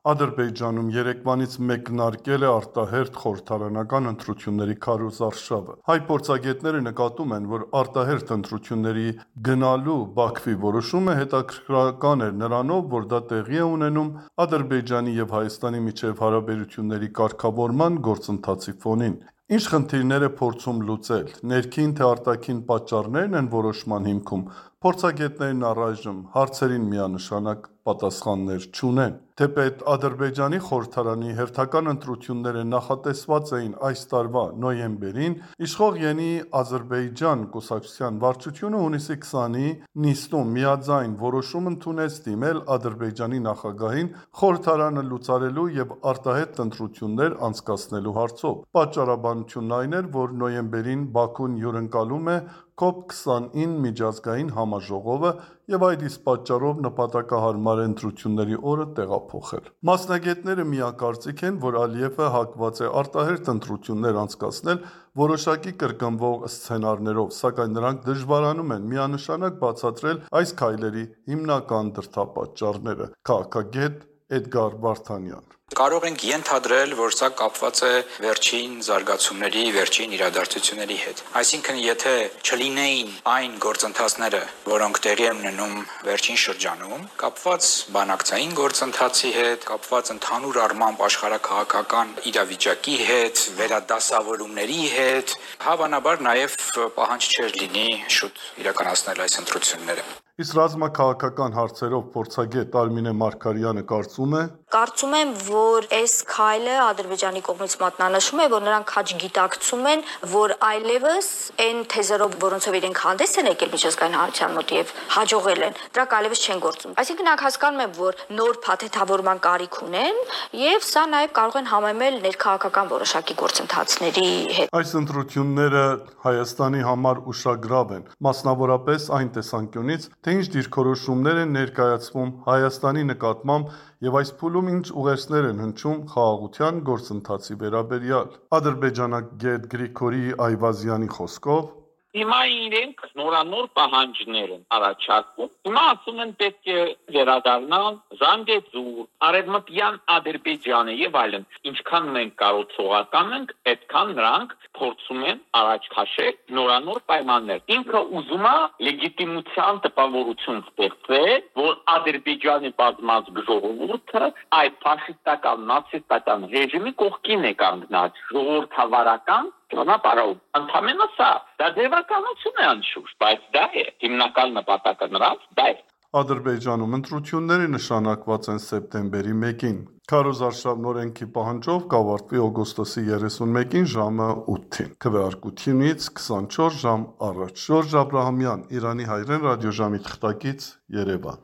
Ադրբեջանում երեկվանից մեկնարկել է արտահերթ խորհրդարանական ընտրությունների քարոզարշավը։ Հայ փորձագետները նկատում են, որ արտահերթ ընտրությունների գնալու Բաքվի որոշումը հետաքրքրական էր նրանով, որ դա տեղի է ունենում Ադրբեջանի և Հայաստանի միջև հարաբերությունների կարգավորման գործընթացի ֆոնին։ Ինչ խնդիրներ է փորձում լուծել, ներքին թե արտաքին պատճառներն են որոշման հիմքում, փորձագետներն առայժմ հարցերին միանշանակ պատասխաններ չունեն։ Թեպետ Ադրբեջանի խորհրդարանի հերթական ընտրությունները նախատեսված էին այս տարվա նոյեմբերին, իշխող Յենի Ադրբեջան կուսակցության վարչությունը հունիսի 20-ի նիստում միաձայն որոշում ընդունեց դիմել Ադրբեջանի նախագահին խորհրդարանը լուծարելու և արտահերթ ընտրություններ անցկացնելու հարցով։ Պատճառաբանությունն այն էր, որ նոյեմբերին Բաքուն հյուրընկալում է COP29 միջազգային համաժողովը և այդ իսկ պատճառով նպատակահարմար է ընտրությունների օրը տեղափոխել։ Մասնագետները միակարծիք են, որ Ալիևը հակված է արտահերթ ընտրություններ անցկացնել որոշակի կրկնվող սցենարներով, սակայն նրանք դժվարանում են միանշանակ բացատրել այս քայլերի հիմնական դրդապատճառները։ Քաղաքագետ Էդգար Վարդանյան: Կարող ենք ենթադրել, որ սա կապված է վերջին զարգացումների, վերջին իրադարձությունների հետ։ Այսինքն, եթե չլինեին այն գործընթացները, որոնք տեղի են ունենում վերջին շրջանում, կապված բանակցային գործընթացի հետ, կապված ընդհանուր առմամբ աշխարհաքաղաքական իրավիճակի հետ, վերադասավորումների հետ, հավանաբար նաև պահանջ չէր լինի շուտ իրականացնել այս ընտրությունները։ Իսկ ռազմաքաղաքական հարցերով փորձագետ Արմինե Մարգարյանը կարծում է. Կարծում եմ, որ այս քայլը Ադրբեջանի կողմից մատնանշում է, որ նրանք քաջ գիտակցում են, որ այլևս այն թեզերով, որոնցով իրենք հանդես են եկել միջազգային հանրության մոտ եւ հաջողել են, դրանք այլևս չեն գործում։ Այսինքն նրանք հասկանում են, որ նոր փաթեթավորման կարիք ունեն եւ սա նաեւ կարող են համեմել ներքաղաքական որոշակի գործընթացների հետ։ Այս ընտրությունները Հայաստանի համար ուշագրավ են, մասնավորապես այն տեսանկյունից, թե ինչ դիրքորոշումներ են ներկայացվում Հայաստանի նկատմամբ և այս փուլում ինչ ուղերձներ են հնչում խաղաղության գործընթացի վերաբերյալ։ Ադրբեջանագետ Գրիգորի Այվազյանի խոսքով. Հիմա իրենք նորանոր պահանջներ են առաջարկում։ Հիմա ասում են պետք է վերադառնալ Զանգեզուր, Արևմտյան Ադրբեջանը եւ այլն։ Ինչքան մենք կարողացողական ենք, այդքան նրանք փորձում են առաջ քաշել նորանոր պայմաններ։ Ինքը ուզում է լեգիտիմության տպավորություն ստեղծել, որ Ադրբեջանի բազմաց ժողովուրդը այդ ֆաշիստական, նացիստական ռեժիմի կողքին է կանգնած, ժողովրդավարական ճանապարհով։ Ընդամենը սա, դա դեպականություն է անշուշտ, բայց դա է հիմնական նպատակը նրանց, դա է։ Ադրբեջանում ընտրությունները նշանակված են սեպտեմբերի 1-ին։ Քարոզարշավն օրենքի պահանջով կավարտվի օգոստոսի 31-ին ժամը 8-ին, քվեարկությունից 24 ժամ առաջ։ Ժորժ Աբրահամյան, Իրանի հայրեն ռադիոժամի թղթակից, Երևան։